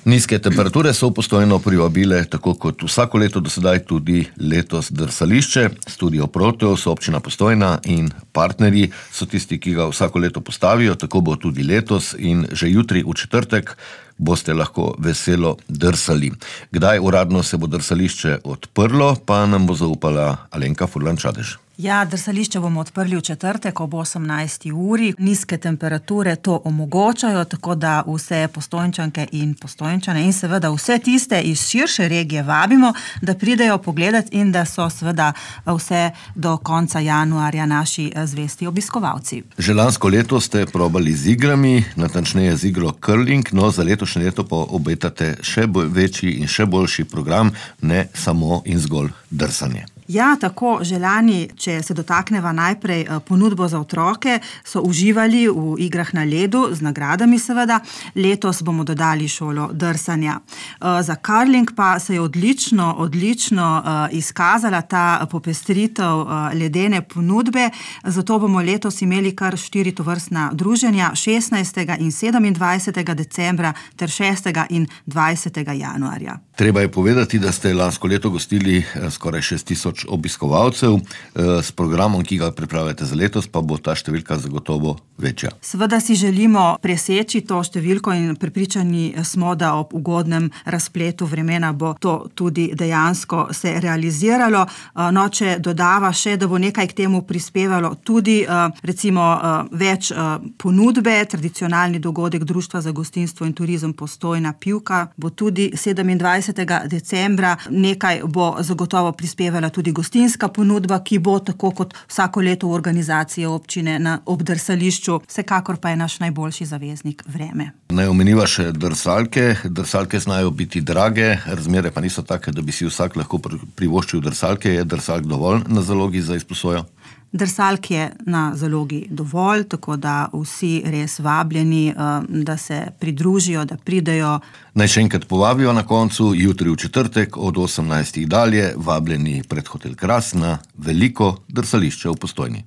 Nizke temperature so v Postojno privabile, tako kot vsako leto do sedaj, tudi letos drsališče. Studio Proteus, občina Postojna in partnerji so tisti, ki ga vsako leto postavijo, tako bo tudi letos in že jutri v četrtek boste lahko veselo drsali. Kdaj uradno se bo drsališče odprlo, pa nam bo zaupala Alenka Furlan-Čadež. Ja, drsališče bomo odprli v četrtek ob 18. uri. Nizke temperature to omogočajo, tako da vse Postojnčanke in Postojnčane in seveda vse tiste iz širše regije vabimo, da pridejo pogledati in da so seveda vse do konca januarja naši zvesti obiskovalci. Že lansko leto ste probali z igrami, natančneje z igro curling, no za letošnje leto pa obetate še večji in še boljši program, ne samo in zgolj drsanje. Ja, tako želani, če se dotakneva najprej ponudbo za otroke, so uživali v igrah na ledu, z nagradami seveda. Letos bomo dodali šolo drsanja. Za curling pa se je odlično izkazala ta popestritev ledene ponudbe, zato bomo letos imeli kar 4 tovrstna druženja, 16. in 27. decembra ter 6. in 20. januarja. Treba je povedati, da ste lansko leto gostili skoraj 6000 obiskovalcev. S programom, ki ga pripravljate za letos, pa bo ta številka zagotovo večja. Seveda si želimo preseči to številko in prepričani smo, da ob ugodnem razpletu vremena bo to tudi dejansko se realiziralo. No, če dodava še, da bo nekaj k temu prispevalo tudi recimo več ponudbe, tradicionalni dogodek Društva za gostinstvo in turizem Postojna Pivka bo tudi 27. decembra. Nekaj bo zagotovo prispevala tudi gostinska ponudba, ki bo tako kot vsako leto v organizaciji občine ob drsališču. Vsekakor pa je naš najboljši zaveznik vreme. Naj omeniva še drsalke. Drsalke znajo biti drage, razmere pa niso take, da bi si vsak lahko privoščil drsalke. Je drsalk dovolj na zalogi za izposojo? Drsalk je na zalogi dovolj, tako da vsi res vabljeni, da se pridružijo, da pridejo. Naj še enkrat povabijo na koncu, jutri v četrtek od 18. dalje, vabljeni pred Hotel Kras na veliko drsališče v Postojni.